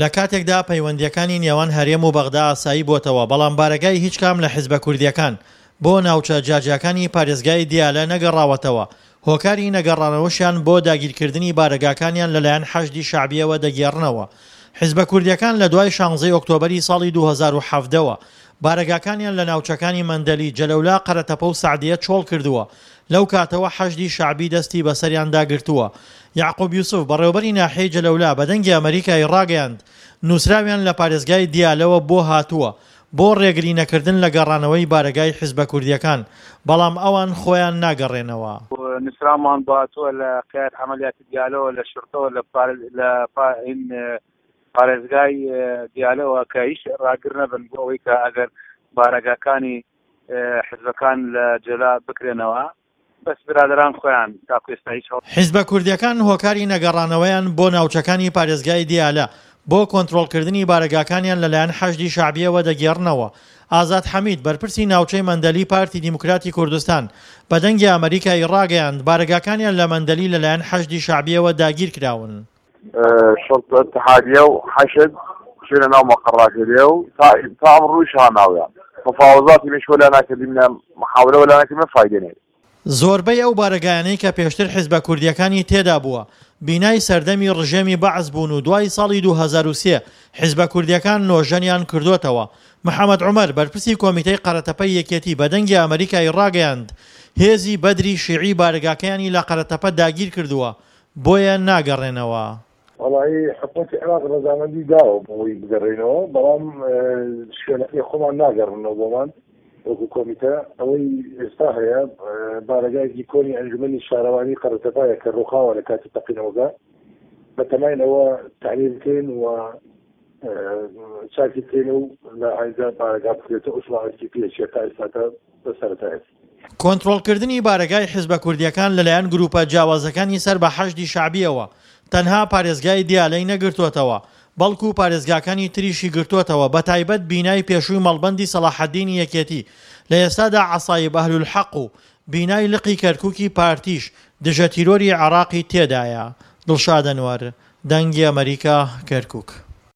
لە کاتێکدا پەیوەندییەکانی نێوان هەرێم و بەغدا ئاسایی بۆتەوە، بەڵام بارەگای هیچ کام لە حزبە کوردییەکان بۆ ناوچە جیاجیاکانی پارێزگای دیالە نەگەڕاوەتەوە، هۆکاری نەگەڕانەوەشیان بۆ داگیرکردنی بارەگاکانیان لەلایەن حەشدی شەعبییەوە دەگێڕنەوە. حزبە کوردییەکان لە دوای شانزەی ئۆکتۆبەری ساڵی 2017 وە بارەگاکانیان لە ناوچەکانی مەندەلی، جەلەولا، قەرەتەپە و سەعدیە چۆڵ کردووە، لەو کاتەوە حەشدی شەعبی دەستی بەسەریاندا گرتووە. یەعقوب یوسف، بەڕێوەبەری ناحیەی جەلەولا بە دەنگی ئەمەریکای ڕاگەیاند، نووسراویان لە پارێزگای دیالەوە بۆ هاتووە بۆ ڕێگری نەکردن لە گەڕانەوەی بارەگای حزبە کوردییەکان، بەڵام ئەوان خۆیان ناگەڕێنەوە. نووسراومان بۆ هاتووە لە قیادەت عەمەلیاتی دیالەوە لە شورتەوە لە پارێزگای دیالەوە کە هیچ ڕاگر نەبن بۆ ئەوەی کە ئەگەر بارەگاکانی حزبەکان لە جەلا بکرێنەوە بەس برادەران خۆیان تاکو ئێستا هیچ هەوڵ. حیزبە کوردیەکان هۆکاری نەگەڕانەوەیان بۆ ناوچەکانی پارێزگای دیالە بۆ کۆنترۆڵکردنی بارەگاکانیان لەلایەن حەشدی شەعبیەوە دەگێڕنەوە. ئازاد حەمید، بەرپرسی ناوچەی مەندەلی پارتی دیموکراتی کوردستان، بە دەنگی ئەمەریکای ڕاگەیاند، بارەگاکانیان لە مەندەلی لەلایەن حەشدی شەعبیەوە داگیرکراون. شرطە اتحادیە و حەشد چوینە ناو مەقەڕاکەێ و تا تا ئمڕوویش ها ناویان مفاوەزاتی میش وەلا ناکردیمنە محاولە وەلا ناکردیمنە فایدە نەی. زۆربەی ئەو بارەگایانەی کە پێشتر حیزبە کوردییەکانی تێدا بووە، بینای سەردەمی ڕژێمی بەعس بوون و دوای ساڵی 2003 حیزبە کوردییەکان نۆژەنیان کردۆتەوە. محەمەد عومەر، بەرپرسی کۆمیتەی قەرەتەپەی یەکێتی بە دەنگی ئەمەریکای ڕاگەیاند، هێزی بەدری شیعی بارەگاکەیانی لە قەرەتەپە داگیرکردووە، بۆیە ناگەڕێنەوە. وەڵایی حکومەتی عێراق ڕەزامەندی داوە بۆ ئەوەی بگەڕێینەوە، بەڵام شوێنەکەی خۆمان ناگەڕنەوە بۆمان وەکو کۆمیتە. ئەوەی ئێستا هەیە بارەگایەکی کۆنی ئەنجومەنی شارەوانی قەرەتەپایە کە ڕووخاوە لە کاتی تەقینەوەکە، بەتەماین ئەوە تەعمیر بکەین و چاکی بکەین و لە ئایندە بارەگا بکرێتەوە، ئەو شمارەیەکی پێچیە تا ئێستاکە بە سەرەتایەتی. کۆنترۆڵکردنی بارەگای حزبە کوردییەکان لەلایەن گروپە جیاوازەکانی سەر بە حەشدی شەعبییەوە تەنها پارێزگای دیالەی نەگرتۆتەوە، بەڵکو پارێزگاکانی تریشی گرتۆتەوە بەتایبەت بینای پێشووی مەڵبەندی سەڵاحەدینی یەکێتی لە ئێستادا عەسایب ئەهلولحەق و بینای لقی کەرکوکی پارتیش دژە تیرۆری عێراقی تێدایە. دڵشاد ئەنوەر، دەنگی ئەمەریکا، کەرکوک.